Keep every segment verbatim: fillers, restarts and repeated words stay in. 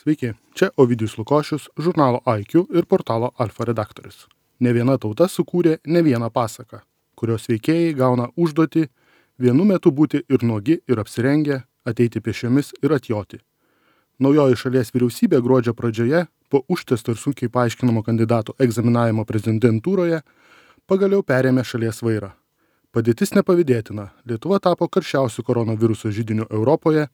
Sveiki, čia Ovidijus Lukošius, žurnalo I Q ir portalo Alfa redaktorius. Ne viena tauta sukūrė ne vieną pasaką, kurios veikėjai gauna užduotį vienu metu būti ir nuogi, ir apsirengę, ateiti pėsčiomis ir atjoti. Naujoji šalies vyriausybė gruodžio pradžioje, po užtesto ir sunkiai paaiškinamo kandidato egzaminavimo prezidentūroje, pagaliau perėmė šalies vairą. Padėtis nepavydėtina, Lietuva tapo karščiausiu koronaviruso židiniu Europoje,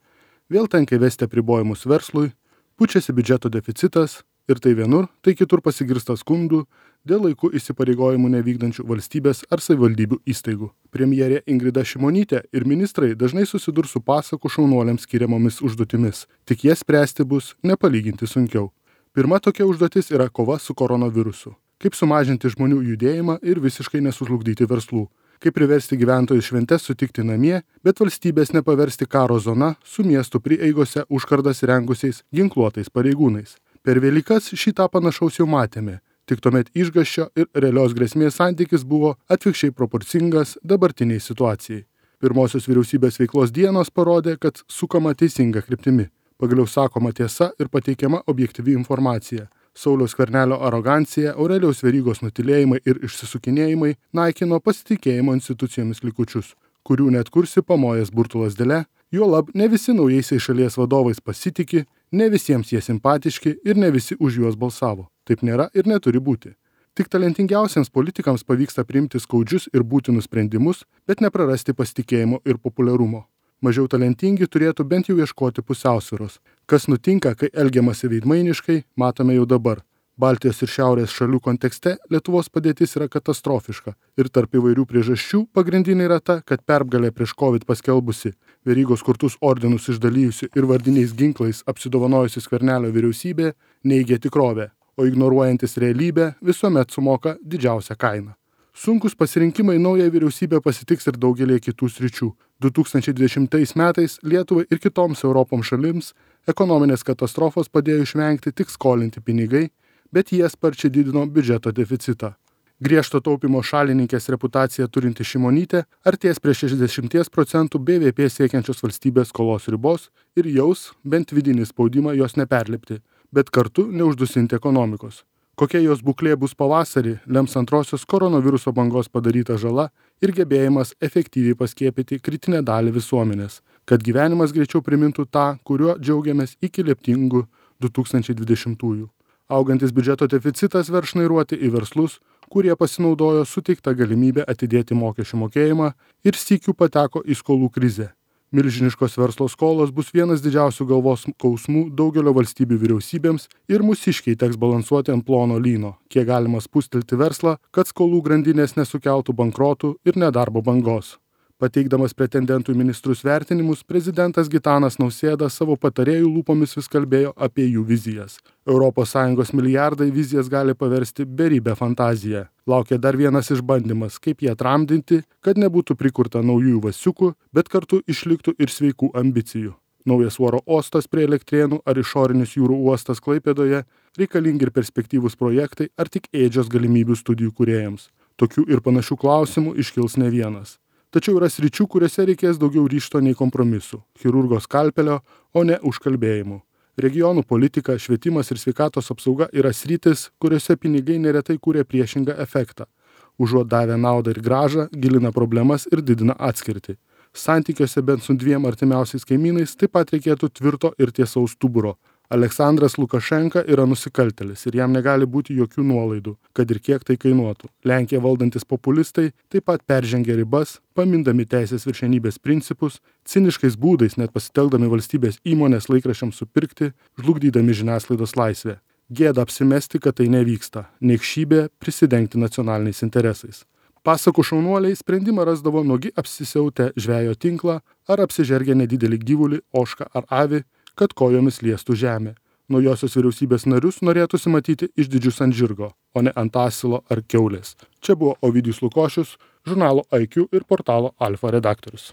vėl tenka įvesti apribojimus verslui, pučiasi biudžeto deficitas ir tai vienur, tai kitur pasigirsta skundų dėl laiku įsipareigojimų nevykdančių valstybės ar savivaldybių įstaigų. Premjerė Ingrida Šimonytė ir ministrai dažnai susidurs su pasakų šaunuoliams skiriamomis užduotimis, tik jas spręsti bus nepalyginti sunkiau. Pirma tokia užduotis yra kova su koronavirusu. Kaip sumažinti žmonių judėjimą ir visiškai nesužlugdyti verslų. Kaip priversti gyventojus šventes sutikti namie, bet valstybės nepaversti karo zona su miestų prieigose užkardas rengusiais ginkluotais pareigūnais. Per Velykas šitą panašaus jau matėme, tik tuomet išgąsčio ir realios grėsmės santykis buvo atvirkščiai proporcingas dabartiniai situacijai. Pirmosios vyriausybės veiklos dienos parodė, kad sukama teisinga kryptimi. Pagaliau sakoma tiesa ir pateikiama objektyvi informacija. Sauliaus Skvernelio arogancija, Aurelijaus Verygos nutylėjimai ir išsisukinėjimai naikino pasitikėjimo institucijomis likučius, kurių net kursi pamojęs burtų lazdele, juolab ne visi naujaisiais šalies vadovais pasitiki, ne visiems jie simpatiški ir ne visi už juos balsavo. Taip nėra ir neturi būti. Tik talentingiausiems politikams pavyksta priimti skaudžius ir būtinus sprendimus, bet neprarasti pasitikėjimo ir populiarumo. Mažiau talentingi turėtų bent jau ieškoti pusiausvyros. Kas nutinka, kai elgiamasi veidmainiškai, matome jau dabar. Baltijos ir Šiaurės šalių kontekste Lietuvos padėtis yra katastrofiška ir tarp įvairių priežasčių pagrindinė yra ta, kad pergalė prieš COVID paskelbusi, Verygos kurtus ordinus išdalijusi ir vardiniais ginklais apsidovanojusi Skvernelio vyriausybė neigia tikrovę, o ignoruojantis realybę visuomet sumoka didžiausią kainą. Sunkus pasirinkimai naują vyriausybę pasitiks ir daugelį kitų sričių. du tūkstančiai dvidešimtais metais Lietuvai ir kitoms Europos šalims ekonominės katastrofos padėjo išvengti tik skolinti pinigai, bet jie sparčiai didino biudžeto deficitą. Griežto taupimo šalininkės reputaciją turinti Šimonytė artės prie šešiasdešimties procentų B V P siekiančios valstybės skolos ribos ir jaus bent vidinį spaudimą jos neperlipti, bet kartu neuždusinti ekonomikos. Kokia jos būklė bus pavasarį, lems antrosios koronaviruso bangos padaryta žala ir gebėjimas efektyviai paskiepyti kritinę dalį visuomenės, kad gyvenimas greičiau primintų tą, kuriuo džiaugiamės iki leptingų du tūkstančiai dvidešimtųjų. Augantis biudžeto deficitas verš šnairuoti į verslus, kurie pasinaudojo suteiktą galimybę atidėti mokesčių mokėjimą ir sykių pateko į skolų krizę. Milžiniškos verslo skolos bus vienas didžiausių galvos skausmų daugelio valstybių vyriausybėms ir mūsiškiai teks balansuoti ant plono lyno, kiek galima spustelti verslą, kad skolų grandinės nesukeltų bankrotų ir nedarbo bangos. Pateikdamas pretendentų į ministrus vertinimus, prezidentas Gitanas Nausėda savo patarėjų lūpomis vis kalbėjo apie jų vizijas. Europos Sąjungos milijardai vizijas gali paversti beribę fantaziją. Laukia dar vienas išbandymas, kaip jie tramdinti, kad nebūtų prikurta naujųjų vasiukų, bet kartu išliktų ir sveikų ambicijų. Naujas oro uostas prie Elektrėnų ar išorinis jūrų uostas Klaipėdoje reikalingi ir perspektyvūs projektai ar tik ėdžios galimybių studijų kūrėjams. Tokių ir panašių klausimų iškils ne vienas. Tačiau yra sričių, kuriuose reikės daugiau ryžto nei kompromisų, chirurgo skalpelio, o ne užkalbėjimų. Regionų politika, švietimas ir sveikatos apsauga yra sritis, kuriuose pinigai neretai kūrė priešingą efektą. Užuot davę naudą ir grąžą, gilina problemas ir didina atskirtį. Santykiuose bent su dviem artimiausiais kaimynais taip pat reikėtų tvirto ir tiesaus stuburo. Aleksandras Lukašenka yra nusikaltėlis ir jam negali būti jokių nuolaidų, kad ir kiek tai kainuotų. Lenkiją valdantis populistai taip pat peržengia ribas, pamindami teisės viršenybės principus, ciniškais būdais net pasitelkdami valstybės įmonės laikraščiams supirkti, žlugdydami žiniasklaidos laisvę. Gėda apsimesti, kad tai nevyksta, niekšybė prisidengti nacionaliniais interesais. Pasakų šaunuoliai sprendimą rasdavo nuogi apsisiautę žvejo tinklą ar apsižergę nedidelį gyvulį, ožką ar avį, kad kojomis liestų žemę. Naujosios vyriausybės narius norėtųsi matyti išdidžius ant žirgo, o ne ant asilo ar kiaulės. Čia buvo Ovidijus Lukošius, žurnalo I Q ir portalo Alfa redaktorius.